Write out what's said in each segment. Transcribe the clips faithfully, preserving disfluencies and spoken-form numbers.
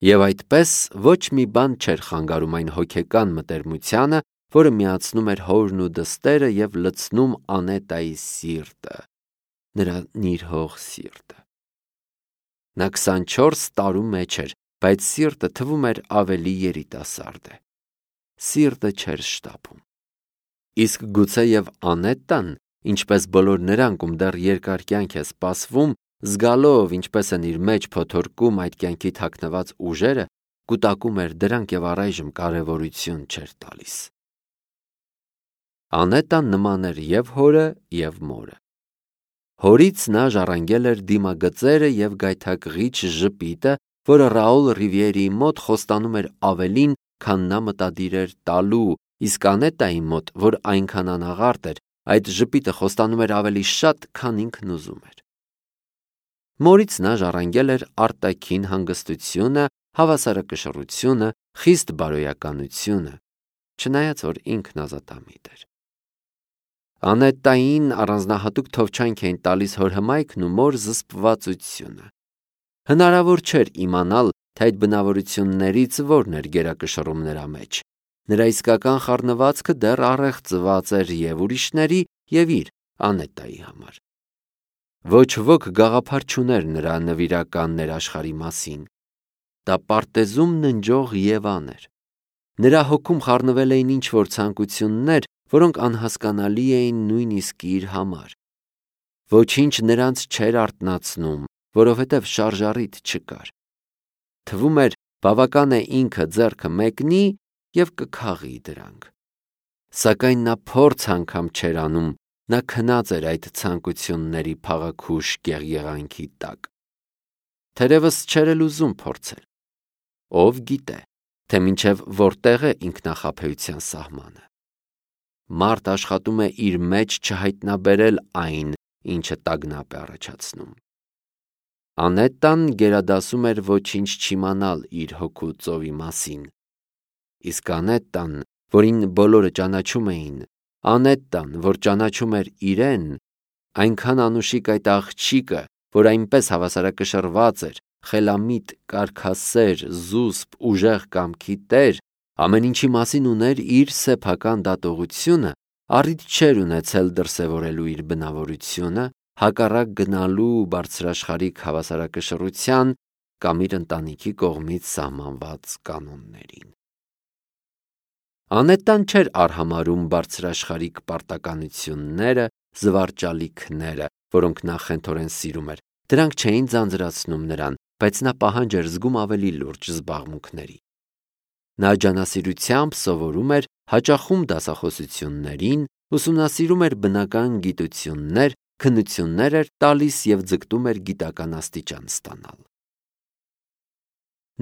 Եվ այդպես ոչ մի բան չէր խանգարում այն հոգեկան մտերմությանը, որը միացնում էր հորն ու դստերը և լցնում Անետայի սիրտը, նրա նիրհող սիրտը։ Նա քսանչորս տարու մեջ էր, բայց սիրտը թվում էր ավելի երիտասարդ է։ Սիրտը չէր շտապում։ Իսկ գուցե և Անետան, ինչպես բոլոր նրանք, ում դեռ երկար կյանք է սպասվում, զգալով ինչպես են իր մեջ փոթորկում այդ կյանքի թաքնված ուժերը, կուտակում էր դրանք և առայժմ կարևորություն չէր տալիս։ Անետան նման էր և հորը, և մորը։ Հորից նա ժառանգել էր դիմագծերը և գայթակղիչ ժպիտը, որը Ռաուլ Ռիվիերիի մոտ խոստանում էր ավելին, քան նա մտադիր էր տալու, իսկ Անետայի մոտ, որ այնքան անաղարտ էր, այդ ժպիտը խոստանում էր ավելի շատ, քան ինքն ուզում էր։ Մորից նա ժառանգել էր արտաքին հանգստությունը, հավասարակշռությունը, խիստ բարոյականությունը, չնայած որ ինքն ազատամիտ էր։ Անետային առանձնահատուկ թովչանք էին տալիս հոր հմայքն ու մոր զսպվածությունը։ Հնարավոր չէր իմանալ, թե այդ բնավորություններից որն էր գերակշռում նրա մեջ։ Նրա իսկական խառնվածքը դեռ առեղծված էր և ուրիշների, և իր Անետայի համար։ Ոչ ոք գաղափար չուներ նրա նվիրական ներաշխարհի մասին։ Դա պարտեզում ննջող Եվան էր։ Նրա հոգում խառնվել էին ինչ-որ ցանկություններ, որոնք անհասկանալի էին նույնիսկ իր համար։ Ոչինչ նրանց չէր արթնացնում, որովհետև շարժառիթ չկար։ Թվում էր, բավական է ինքը ձեռքը մեկնի և կքաղի դրանք։ Սակայն նա փորձ անգամ չէր անում, նա քնած էր այդ ցանկությունների փաղաքուշ գեղեղանքի տակ։ Թերևս չէր էլ ուզում փորձել։ Ով գիտե, թե մինչև որտեղ է ինքնախաբեության սահմանը։ Մարդ աշխատում է իր մեջ չհայտնաբերել այն, ինչը տագնապ է առաջացնում։ Անետան գերադասում էր ոչինչ չիմանալ իր հոգու ծովի մասին։ Իսկ Անետան, որին բոլորը ճանաչում էին, Անետան, որ ճանաչում էր իրեն, այնքան անուշիկ այդ աղջիկը, որ այնպես հավասարակշռված էր, խելամիտ, կարգասեր, զուսպ, ուժեղ կամքի տեր, ամեն ինչի մասին ուներ իր սեփական դատողությունը, առիթ չէր ունեցել դրսևորելու իր բնավորությունը, հակառակ գնալու բարձրաշխարհիկ հավասարակշռության կամ իր ընտանիքի կողմից սահմանված կանոններին։ Անետան չէր արհամարհում բարձրաշխարհիկ պարտականությունները, զվարճալիքները, որոնք նա խենթորեն սիրում էր, դրանք չէին ձանձրացնում նրան, բայց նա պահանջ էր զգում ավելի լուրջ զբաղմունքների։ Նա ջանասիրությամբ սովորում էր, հաճախում դասախոսություններին, ուսումնասիրում էր բնական գիտություններ, քննություններ էր տալիս և ձգտում էր գիտական աստիճան ստանալ։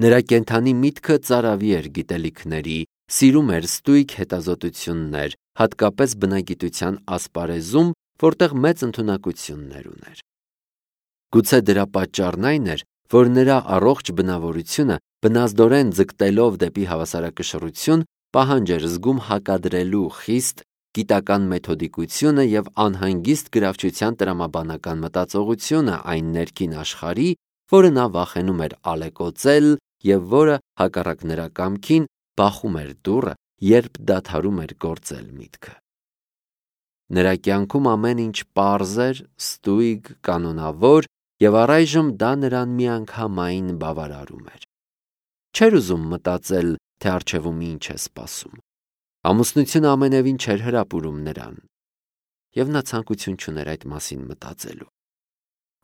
Նրա կենդանի միտքը ծարավի էր գիտելիքների, սիրում էր ստույգ հետազոտություններ, հատկապես բնագիտության ասպարեզում, որտեղ մեծ ընդունակություններ ուներ։ Գուցե դրա պատճառն այն էր, որ նրա առողջ բնավորությունը, բնազդորեն ձգտելով դեպի հավասարակշռություն, պահանջ էր զգում հակադրելու խիստ գիտական մեթոդիկությունը և անհանգիստ գրավչության տրամաբանական մտածողությունը այն ներքին աշխարհի, որը նա վախենում էր ալեկոծել և որը, հակառակ նրա կամքին, բախում էր դուռը, երբ դադարում էր գործել միտքը։ Նրա կյանքում ամեն ինչ պարզ էր, ստույգ, կանոնավոր, և առայժմ դա նրան միանգամայն բավարարում էր։ Չէր ուզում մտածել, թե առջևում ինչ է սպասում։ Ամուսնությունը ամենևին չէր հրապուրում նրան, և նա ցանկություն չուներ այդ մասին մտածելու։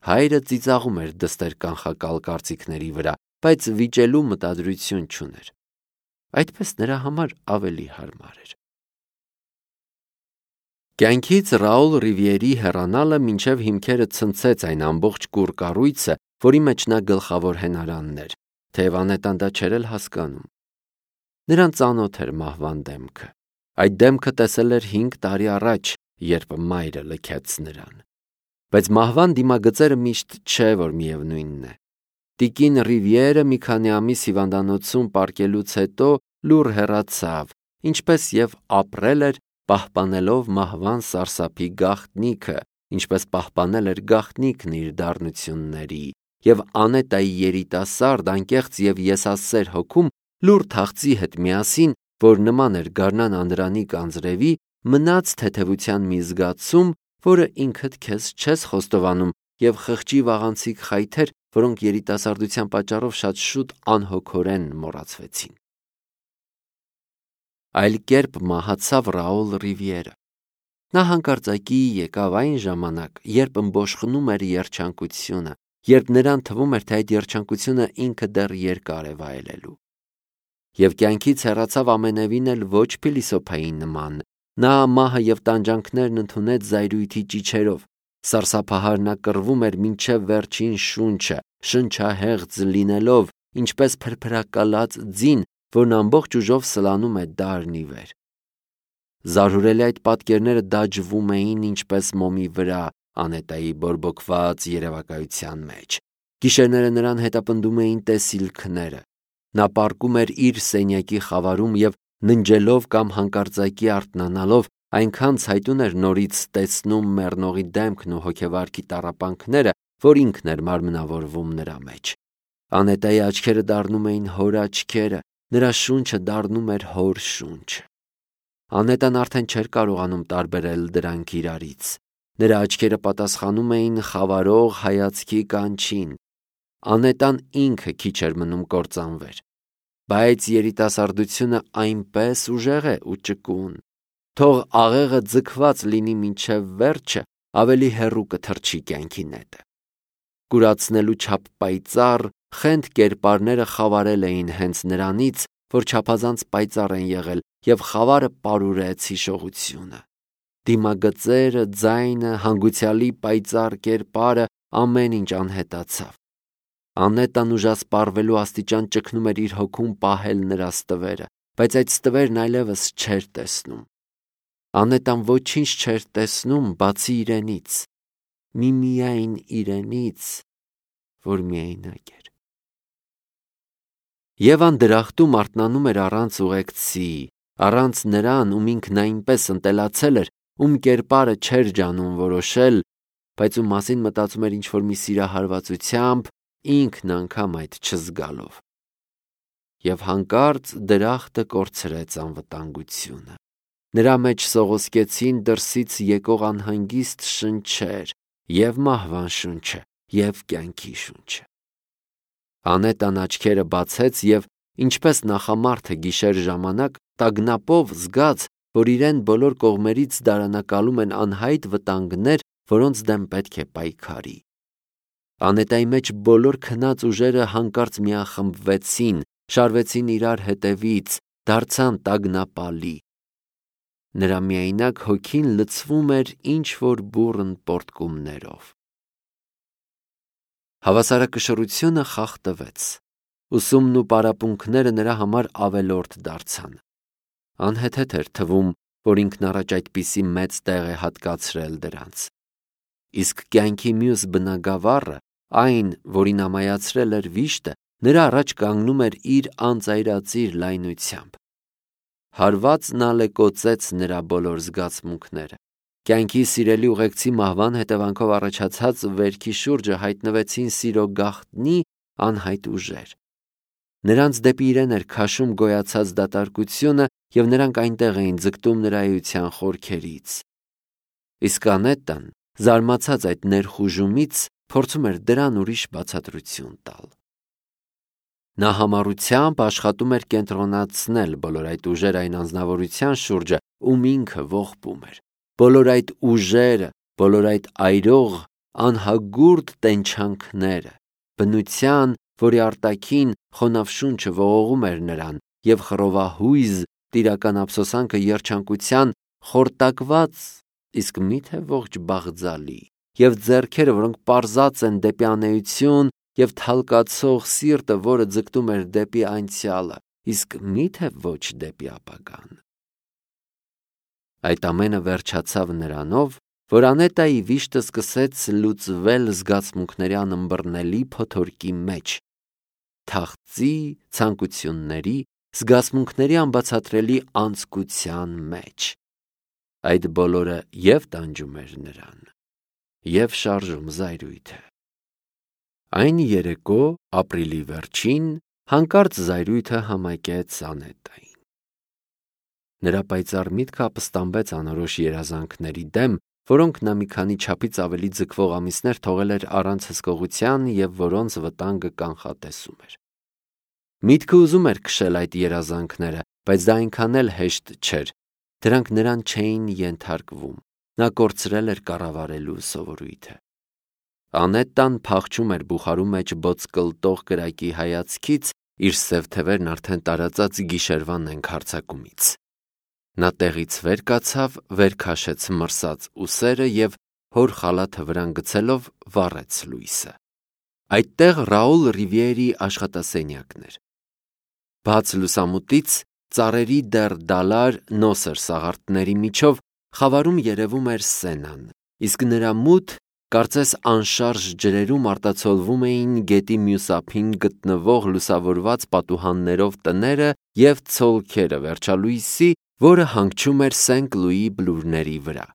Հայրը ծիծաղում էր դստեր կանխակալ կարծիքների վրա, բայց վիճելու մտադրություն չուներ։ Այդպես նրա համար ավելի հարմար էր։ Կյանքից Ռաուլ Ռիվիերի հեռանալը մինչև հիմքերը ցնցեց այն ամբողջ կուռ կառույցը, որի մեջ նա գլխավոր հենարանն էր, թեև Անետան դա չէր էլ հասկանում։ Նրան ծանոթ էր մահվան դեմքը։ Այդ դեմքը տեսել էր հինգ տարի առաջ, երբ մայրը լքեց նրան։ Բայց մահվան դիմագծերը միշտ չէ, որ միևնույնն է։ Տիկին Ռիվիերը մի քանի ամիս հիվանդանոցում պառկելուց հետո լուռ հեռացավ, ինչպես և ապրել էր, պահպանելով մահվան սարսափի գաղտնիքը, ինչպես պահպանել էր գաղտնիքն իր դառնությունների, եւ Անետայի երիտասարդ, անկեղծ եւ եսասեր հոգում լուր թախծի հետ միասին, որ նման էր գարնան անդրանի կանձրևի, մնաց թեթևության մի զգացում, որը ինքդ քեզ չես խոստովանում, եւ խղճի վաղանցիկ խայթեր, որոնք երիտասարդության պատճառով շատ շուտ անհոգորեն մոռացվեցին։ Այլ կերպ մահացավ Ռաուլ Ռիվիերը։ Նա հանկարծակի եկավ այն ժամանակ, երբ ըմբոշխնում էր երջանկությունը, երբ նրան թվում էր, թե այդ երջանկությունը ինքը դեռ երկար է վայելելու։ Եվ կյանքից հեռացավ ամենևին էլ ոչ փիլիսոփայի նման։ Նա մահը եւ տանջանքներն ընդունեց զայրույթի ճիչերով։ Սարսափահար նա կռվում էր մինչև վերջին շունչը, շնչահեղձ լինելով, ինչպես փրփրակալած ձին, որն ամբողջ ուժով սլանում է դարն ի վեր։ Զարհուրելի այդ պատկերները դաջվում էին ինչպես մոմի վրա Անետայի բորբոքված երևակայության մեջ։ Գիշերները նրան հետապնդում էին տեսիլքները։ Նա պառկում էր իր սենյակի խավարում եւ ննջելով կամ հանկարծակի արթնանալով այնքան ցայտուն էր նորից տեսնում մեռնողի դեմքն ու հոգեվարքի տառապանքները, որ ինքն էր մարմնավորվում նրա մեջ։ Անետայի աչքերը դառնում էին հոր աչքերը, նրա շունչը դառնում էր հոր շունչը։ Անետան արդեն չէր կարողանում տարբերել դրանք իրարից։ Նրա աչքերը պատասխանում էին խավարող հայացքի կանչին։ Անետան ինքը քիչ էր մնում կործանվեր։ Բայց երիտասարդությունը այնպես ուժեղ է ու ճկուն։ Թող աղեղը ձգված լինի մինչև վերջը, ավելի հեռու կթռչի կյանքի նետը։ Կուրացնելու չափ պայծառ, խենթ կերպարները խավարել էին հենց նրանից, որ չափազանց պայծառ են եղել, եւ խավարը պարուրեց հիշողությունը։ Դիմագծերը, ձայնը, հանգուցյալի պայծառ կերպարը, ամեն ինչ անհետացավ։ Անետան ուժասպառվելու աստիճան ճգնում էր իր հոգում պահել նրա ստվերը, բայց այդ ստվերն այլևս չէր տեսնում։ Անետան ոչինչ չէր տեսնում, բացի իրենից, միմիայն իրենից, որ միայնակ էր։ Եվան դրախտում արթնանում էր առանց ուղեկցի, առանց նրան, ում ինքն այնպես ընտելացել էր, ում կերպարը չէր ջանում որոշել, բայց ում մասին մտածում էր ինչ-որ մի սիրահարվածությամբ, ինքն անգամ այդ չզգալով։ Եվ հանկարծ դրախտը կորցրեց անվտանգությունը։ Նրա մեջ սողոսկեցին դրսից եկող անհանգիստ շնչեր, եւ մահվան շունչը, եւ կյանքի շունչը։ Անետան աչքերը բացեց եւ, ինչպես նախամարդը գիշեր ժամանակ, տագնապով զգաց, որ իրեն բոլոր կողմերից դարանակալում են անհայտ վտանգներ, որոնց դեմ պետք է պայքարի։ Անետայի մեջ բոլոր քնած ուժերը հանկարծ միախմբվեցին, շարվեցին իրար հետևից, դարձան տագնապալի։ Նրա միայնակ հոգին լցվում էր ինչ-որ բուռն պոռթկումներով։ Հավասարակշռությունը խախտվեց։ Ուսումն ու պարապմունքները նրա համար ավելորդ դարձան։ Անհեթեթ էր թվում, որ ինքն առաջ այդպիսի մեծ տեղ է հատկացրել դրանց։ Իսկ կյանքի մյուս բնագավառը, այն, որին ամայացրել էր վիշտը, նրա առաջ կանգնում էր իր անծայրածիր լայնությամբ։ Հարվածն ալեկոծեց նրա բոլոր զգացմունքները։ Կյանքի սիրելի ուղեկցի մահվան հետևանքով առաջացած վերքի շուրջը հայտնվեցին սիրո գաղտնի անհայտ ուժեր։ Նրանց դեպի իրեն էր քաշում գոյացած դատարկությունը, եւ նրանք այնտեղ էին ձգտում նրա էության խորքերից։ Իսկ Անետան, զարմացած այդ ներխուժումից, փորձում էր դրան ուրիշ բացատրություն տալ։ Նա համառությամբ աշխատում էր կենտրոնացնել բոլոր այդ ուժերը այն անձնավորության շուրջը, ում ինքը ողբում էր։ Բոլոր այդ ուժերը, բոլոր այդ այրող, անհագուրդ տենչանքները, բնության, որի արտաքին խոնավ շունչը ողողում էր նրան, եւ խռովահույզ տիրական ափսոսանքը երջանկության խորտակված, իսկ միթե ողջ բաղձալի, եւ ձեռքերը, որոնք պարզած են դեպի անեություն, եւ թալկացող սիրտը, որը ձգտում էր դեպի անցյալը, իսկ միթե ոչ դեպի ապագան։ Այդ ամենը վերջացավ նրանով, որ Անետայի վիշտը սկսեց լուծվել զգացմունքների անըմբռնելի փոթորկի մեջ, թախծի, ցանկությունների, զգացմունքների անբացատրելի անձկության մեջ։ Այդ բոլորը եւ տանջում էր նրան, եւ շարժում զայրույթը։ Այն երեկո ապրիլի վերջին հանկարծ զայրույթը համակեց Անետային։ Նրա պայծառ միտքը ապստամբեց անորոշ երազանքների դեմ, որոնք նա մի քանի չափից ավելի ձգվող ամիսներ թողել էր առանց հսկողության և որոնց վտանգը կանխատեսում էր։ Միտքը ուզում էր քշել այդ երազանքները, բայց դա այնքան էլ հեշտ չէր, դրանք նրան չէին ենթարկվում, նա կորցրել էր կառավարելու սովորույթը։ Անետան փախչում էր բուխարու մեջ բոծկլտող կրակի հայացքից, իր սև թևերն արդեն տարածած գիշերվա նենք հարձակումից։ Նա տեղից վեր կացավ, վեր քաշեց մրսած ուսերը և հոր խալաթը վրան գցելով վառեց լույսը։ Այդտեղ Ռաուլ Ռիվիերի աշխատասենյակն էր։ Բաց լուսամուտից ծառերի դեռ դալար նոսր սաղարթների միջով խավարում երևում էր Սենան, իսկ նրա մութ, կարծես անշարժ ջրերում արտացոլվում էին գետի մյուս ափին գտնվող լուսավորված պատուհաններով տները և ցոլքերը վերջալույսի, որը հանգչում էր Սենք Լուի բլուրների վրա։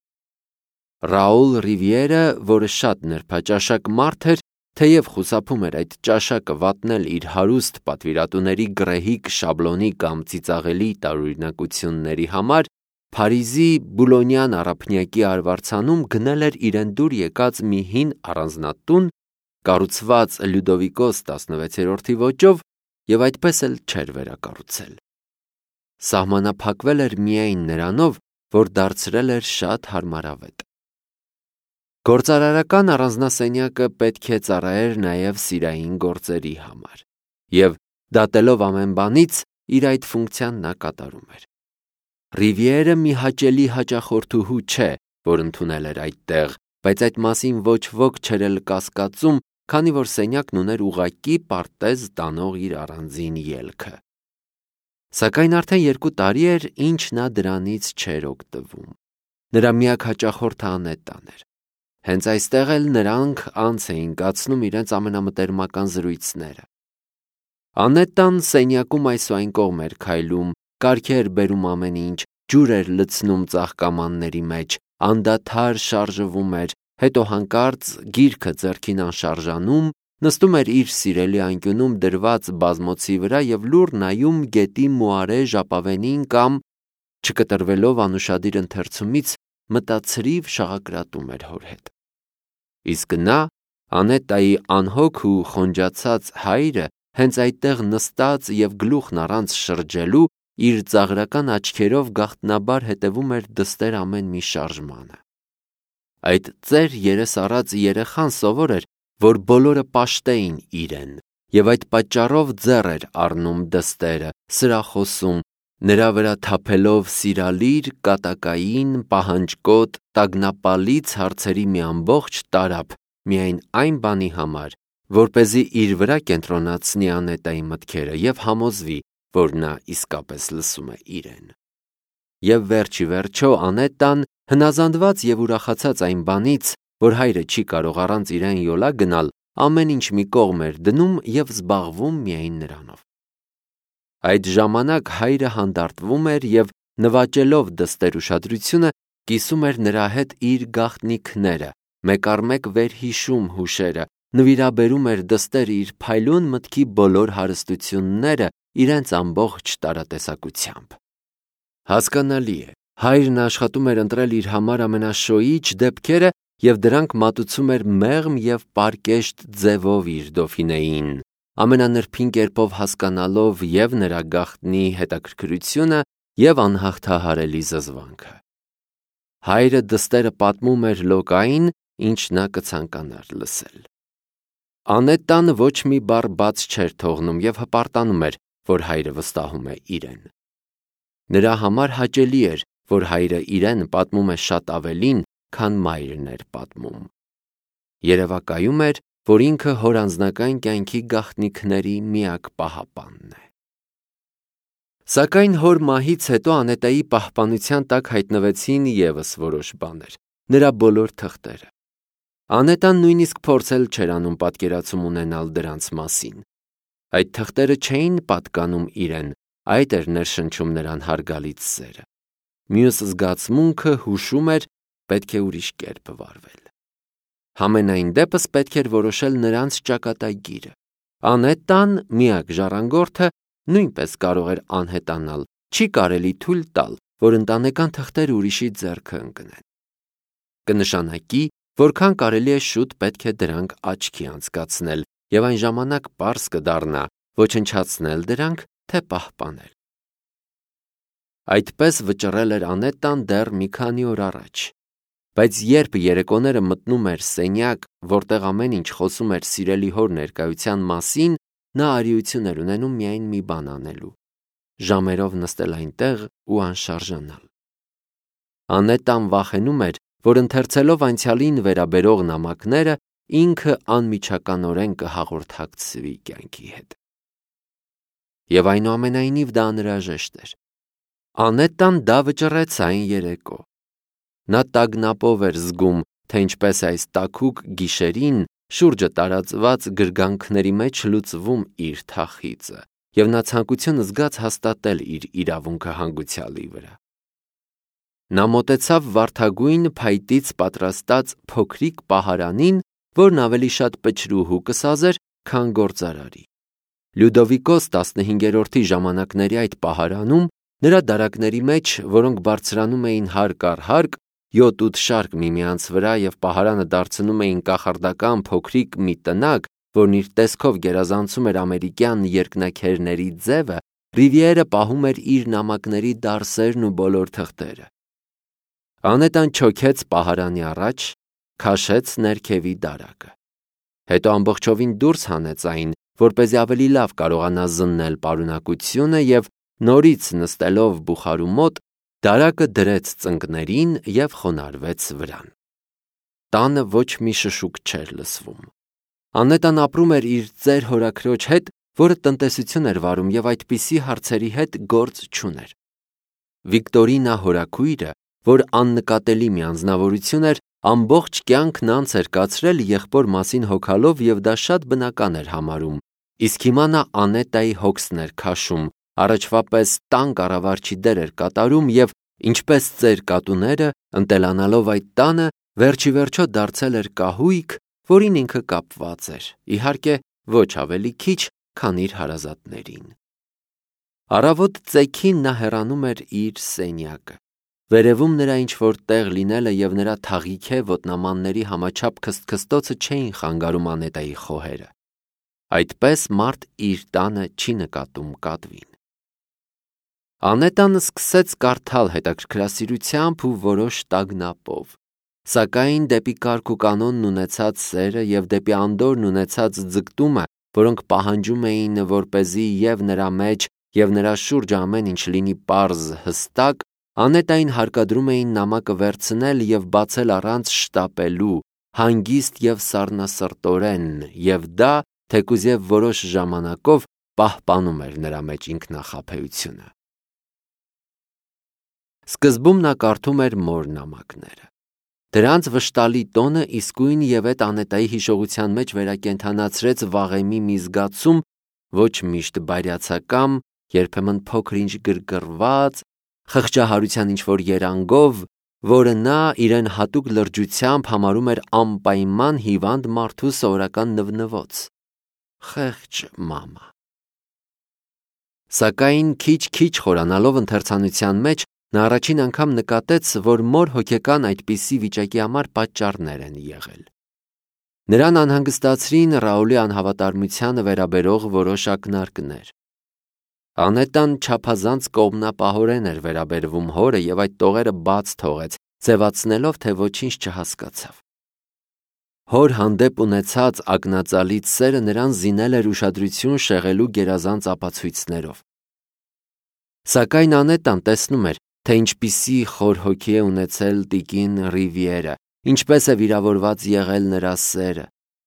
Ռաուլ Ռիվիերը, որը շատ նրբաճաշակ մարդ էր, թեև խուսափում էր այդ ճաշակը վատնել իր հարուստ պատվիրատուների գռեհիկ շաբլոնի կամ ծիծաղելի տարօրինակությունների համար, Փարիզի Բուլոնյան առափնյակի արվարձանում գնել էր իրեն դուր եկած մի հին առանձնատուն, կառուցված Լյուդովիկոս տասնվեցերորդի ոճով և այդպես էլ չէր վերակառուցել։ Սահմանափակվել էր միայն նրանով, որ դարձրել էր շատ հարմարավետ։ Գործարարական առանձնասենյակը պետք է ծառայեր նաև սիրային գործերի համար, և դատելով ամեն բանից, իր այդ ֆունկցիան նա կատարում էր։ Ռիվիերը մի հաճելի հաճախորդուհու չէ, որ ընդունել էր այդտեղ, բայց այդ մասին ոչ ոք չէր էլ կասկածում, քանի որ սենյակն ուներ ուղղակի պարտեզ տանող իր առանձին ելքը։ Սակայն արդեն երկու տարի էր, ինչ նա դրանից չէր օգտվում։ Նրա միակ հաճախորդը Անետան էր։ Հենց այստեղ էլ նրանք անց էին կացնում իրենց ամենամտերմական զրույցները։ Անետան սենյակում այս ու այն կողմ էր քայլում, կարգ էր բերում ամեն ինչ, ջուր էր լցնում ծաղկամանների մեջ, անդադար շարժվում էր, հետո հանկարծ գիրքը ձեռքին անշարժանում, նստում էր իր սիրելի անկյունում դրված բազմոցի վրա և լուռ նայում գետի մուարե ժապավենին կամ, չկտրվելով անուշադիր ընթերցումից, մտացրիվ շաղակրատում էր հոր հետ։ Իսկ նա, Անետայի անհոգ ու խոնջացած հայրը, հենց այդտեղ նստած և գլուխն առանց շրջելու, իր ծաղրական աչքերով գաղտնաբար հետևում էր դստեր ամեն մի շարժմանը։ Այդ ծեր երես առած երեխան սովոր էր, որ բոլորը պաշտեին իրեն, և այդ պատճառով ձեռ էր առնում դստերը, սրախոսում, նրա վրա թափելով սիրալիր, կատակային, պահանջկոտ, տագնապալից հարցերի մի ամբողջ տարափ, միայն այն բանի համար, որպեսզի իր վրա կենտրոնացնի Անետայի մտքերը և համոզվի, որ նա իսկապես լսում է իրեն։ Եվ վերջ ի վերջո Անետան, հնազանդված և ուրախացած այն բանից, որ հայրը չի կարող առանց իրեն յոլա գնալ, ամեն ինչ մի կողմ էր դնում և զբաղվում միայն նրանով։ Այդ ժամանակ հայրը հանդարտվում էր և, նվաճելով դստեր ուշադրությունը, կիսում էր նրա հետ իր գաղտնիքները, մեկ առ մեկ վերհիշում հուշերը, նվիրաբերում էր դստեր իր փայլուն մտքի բոլոր հարստությունները իրենց ամբողջ տարատեսակությամբ։ Հասկանալի է, հայրն աշխատում էր ընտրել իր համար ամենաշոյիչ դեպքերը և դրանք մատուցում էր մեղմ և պարկեշտ ձևով իր Դոֆինեին, ամենանրբին կերպով հասկանալով և նրա գաղտնի հետաքրքրությունը և անհաղթահարելի զզվանքը։ Հայրը դստերը պատմում էր Լոկային, ինչ նա կցանկանար լսել։ Անետան ոչ մի բառ բաց չէր թողնում և հպարտանում էր, որ հայրը վստահում է իրեն։ Նրա համար հաճելի էր, որ հայրը իրեն պատմում է շատ ավելին, քան մայրն էր պատմում։ Երևակայում էր, որ ինքը հոր անձնական կյանքի գաղտնիքների միակ պահապանն է։ Սակայն հոր մահից հետո Անետայի պահպանության տակ հայտնվեցին ևս որոշ բաներ, նրա բոլոր թղթերը։ Անետան նույնիսկ փորձել չէր անում պատկերացում ունենալ դրանց մասին։ Այդ թղթերը չէին պատկանում իրեն, այդ էր ներշնչում նրան հարգալից սերը։ Մյուս զգացմունքը հուշում էր, պետք է ուրիշ կերպ վարվել։ Համենայն դեպս պետք էր որոշել նրանց ճակատագիրը։ Անետան, միակ ժառանգորդը, նույնպես կարող էր անհետանալ, չի կարելի թույլ տալ, որ ընտանեկան թղթերը ուրիշի ձեռքը ընկնեն։ Կնշանակի, որքան կարելի է շուտ պետք է դրանք աչքի անցկացնել, եւ այն ժամանակ պարզ կդառնա ոչնչացնել դրանք, թե պահպանել։ Այդպես վճռել էր Անետան դեռ մի քանի օր առաջ, բայց երբ երեկոները մտնում էր սենյակ, որտեղ ամեն ինչ խոսում էր սիրելի հոր ներկայության մասին, նա արիություն էր ունենում միայն մի բան անելու՝ ժամերով նստել այնտեղ ու անշարժանալ։ Անետան վախենում էր, որ ընթերցելով անցյալին վերաբերող նամակները, ինքը անմիջականորեն կհաղորդակցվի կյանքի հետ։ Եվ այնուամենայնիվ դա անհրաժեշտ էր։ Անետան դա վճռեց այն երեկո։ Նա տագնապով էր զգում, թե ինչպես այս տաքուկ գիշերին շուրջը տարածված գրգանքների մեջ լուծվում իր թախիծը, և նա ցանկություն զգաց հաստատել իր իրավունքը հանգուցյալի վրա։ Նա մոտեցավ վարդագույն փայտից պատրաստած փոքրիկ պահարանին, որն ավելի շատ պչրուհու կսազեր, քան գործարարի։ Լյուդովիկոս տասնհինգերորդի ժամանակների այդ պահարանում, նրա դարակների մեջ, որոնք բարձրանում էին հարկ առ հարկ, յոթ-ութ շարք միմյանց վրա և պահարանը դարձնում էին կախարդական փոքրիկ մի տնակ, որն իր տեսքով գերազանցում էր ամերիկյան երկնաքերների ձևը, Ռիվիերը պահում էր իր նամակների դարսերն ու բոլոր թղթերը։ Անետան չոքեց պահարանի առաջ, քաշեց ներքևի դարակը։ Հետո ամբողջովին դուրս հանեց այն, որպեսզի ավելի լավ կարողանա զննել պարունակությունը, և նորից նստելով բուխարու մոտ, դարակը դրեց ծնկներին և խոնարհվեց վրան։ Տանը ոչ մի շշուկ չէր լսվում։ Անետան ապրում էր իր ծեր հորաքրոջ հետ, որը տնտեսություն էր վարում և այդպիսի հարցերի հետ գործ չուներ։ Վիկտորինա հորաքույրը, որ աննկատելի մի անձնավորություն էր, ամբողջ կյանքն անց էր կացրել եղբոր մասին հոգալով և դա շատ բնական էր համարում, իսկ հիմա նա Անետայի հոգսն էր քաշում, առաջվա պես տան կառավարչի դեր էր կատարում և, ինչպես ծեր կատուները, ընտելանալով այդ տանը, վերջիվերջո դարձել էր կահույք, որին ինքը կապված էր, իհարկե, ոչ ավելի քիչ, քան իր հարազատներին։ Առավոտ ծեքին նա հեռանում էր իր սենյակը։ Վերևում նրա ինչ-որ տեղ լինելը և նրա թաղիքե ոտնամանների համաչափ քստքստոցը չէին խանգարում Անետայի խոհերը։ Այդպես մարդ իր տանը չի նկատում կատվին։ Անետան սկսեց կարդալ հետաքրքրասիրությամբ ու որոշ տագնապով, սակայն դեպի կարգ ու կանոնն ունեցած սերը և դեպի անդորրն ունեցած ձգտումը, որոնք պահանջում էին, որպեսզի և նրա մեջ, և նրա շուրջը ամեն ինչ լինի պարզ, հստակ, Անետային հարկադրում էին նամակը վերցնել և բացել առանց շտապելու, հանգիստ և սառնասրտորեն, և դա, թեկուզ և որոշ ժամանակով, պահպանում էր նրա մեջ ինքնախաբեությունը։ Սկզբում նա կարդում էր մոր նամակները։ Դրանց վշտալի տոնը իսկույն ևեթ Անետայի հիշողության մեջ վերակենդանացրեց վաղեմի մի զգացում, ոչ միշտ բարյացակամ, երբեմն փոքր-ինչ գրգռված, խղճահարության ինչ-որ երանգով, որը նա իրեն հատուկ լրջությամբ համարում էր անպայման հիվանդ մարդու սովորական նվնվոց։ Խեղճ մամա։ Սակայն քիչ-քիչ խորանալով ընթերցանության մեջ, նա առաջին անգամ նկատեց, որ մոր հոգեկան այդպիսի վիճակի համար պատճառներ են եղել։ Նրան անհանգստացրին Ռաուլի անհավատարմությանը վերաբերող որոշ ակնարկներ։ Անետան չափազանց կողմնապահորեն էր վերաբերվում հորը և այդ տողերը բաց թողեց, ձևացնելով, թե ոչինչ չհասկացավ։ Հոր հանդեպ ունեցած ակնածալից սերը նրան զինել էր ուշադրություն շեղելու գերազանց ապացույցներով։ Սակայն Անետան տեսնում էր, թե ինչպիսի խոր հոգի է ունեցել տիկին Ռիվիերը, ինչպես է վիրավորված եղել նրա սերը,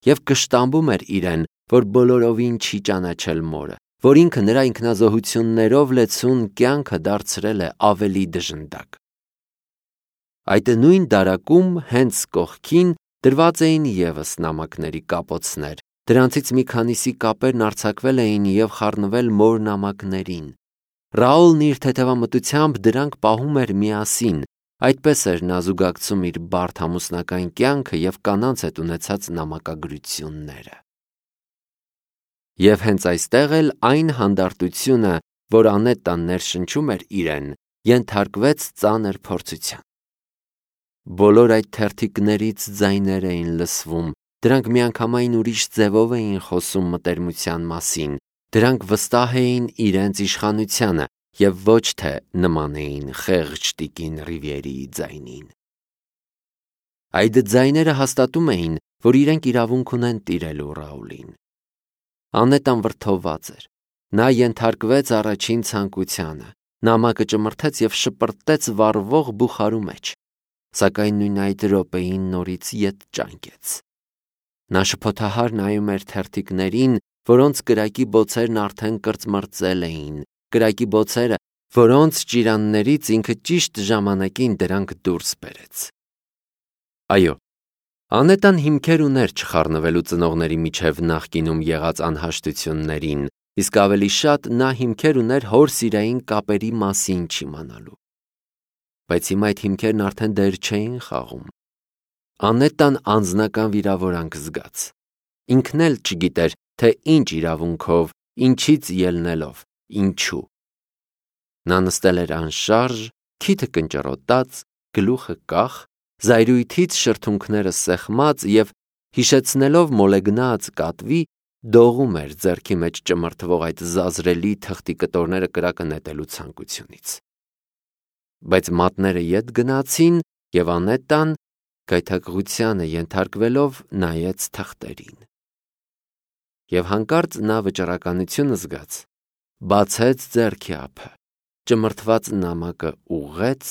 և կշտամբում էր իրեն, որ բոլորովին չի ճանաչել մորը, որ ինքը նրա ինքնազոհություններով լեցուն կյանքը դարձրել է ավելի դժնդակ։ Այդ նույն դարակում, հենց կողքին, դրված էին ևս նամակների կապոցներ, դրանցից մի քանիսի կապերն արձակվել էին և խառնվել մոր նամակներին։ Ռաուլն իր թեթևամտությամբ դրանք պահում էր միասին, Այդպես էր նա զուգակցում իր բարդ ամուսնական կյանքը և կանանց հետ ունեցած նամակագրությունները։ Եվ հենց այստեղ էլ այն հանդարտությունը, որ Անետտան ներշնչում էր իրեն, ենթարկվեց ծանր փորձության։ Բոլոր այդ թերթիկներից ձայներ էին լսվում, դրանք միանգամայն ուրիշ ձևով էին խոսում մտերմության մասին, դրանք վստահ էին իրենց իշխանությանը և ոչ թե նման էին խեղճ տիկին Ռիվիերիի ձայնին։ Այդ ձայները հաստատում էին, որ իրենք իրավունք ունեն տիրելու Ռաուլին։ Անետտան վրդովված էր։ Նա ենթարկվեց առաջին ցանկությանը, նամակը ճմրթեց և շպրտեց վառվող բուխարու մեջ, սակայն նույն այդ րոպեին նորից ետ ճանկեց։ Նա շփոթահար նայում էր թերթիկներին, որոնց կրակի բոցերն արդեն կրծմռծել էին, կրակի բոցերը, որոնց ճիրաններից ինքը ճիշտ ժամանակին դրանք դուրս բերեց։ Այո, Անետտան հիմքեր ուներ չխառնվելու ծնողների միջև նախկինում եղած անհաշտություններին, իսկ ավելի շատ նա հիմքեր ուներ հոր սիրային կապերի մասին չիմանալու։ Բայց հիմա այդ հիմքերն արդեն դեր չէին խաղում։ Անետտան անձնական վիրավորանք զգաց։ Ինքն էլ չգիտեր, թե ինչ իրավունքով, ինչից ելնելով, ինչու։ Նա նստել էր անշարժ, քիթը կնճռոտած, գլուխը կախ, զայրույթից շրթունքները սեղմած և, հիշեցնելով մոլեգնած կատվի, դողում էր ձեռքի մեջ ճմրթվող այդ զազրելի թղթի կտորները կրակը նետելու ցանկությունից։ Բայց մատները ետ գնացին, և Անետտան, գայթակղությանը ենթարկվելով, նայեց թղթերին։ Եվ հանկարծ նա վճռականություն զգաց, բացեց ձեռքի ափը, ճմրթված նամակը ուղղեց,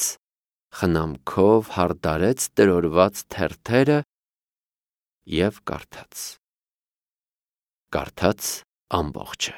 խնամքով հարդարեց տրորված թերթերը և կարդաց։ Կարդաց ամբողջը։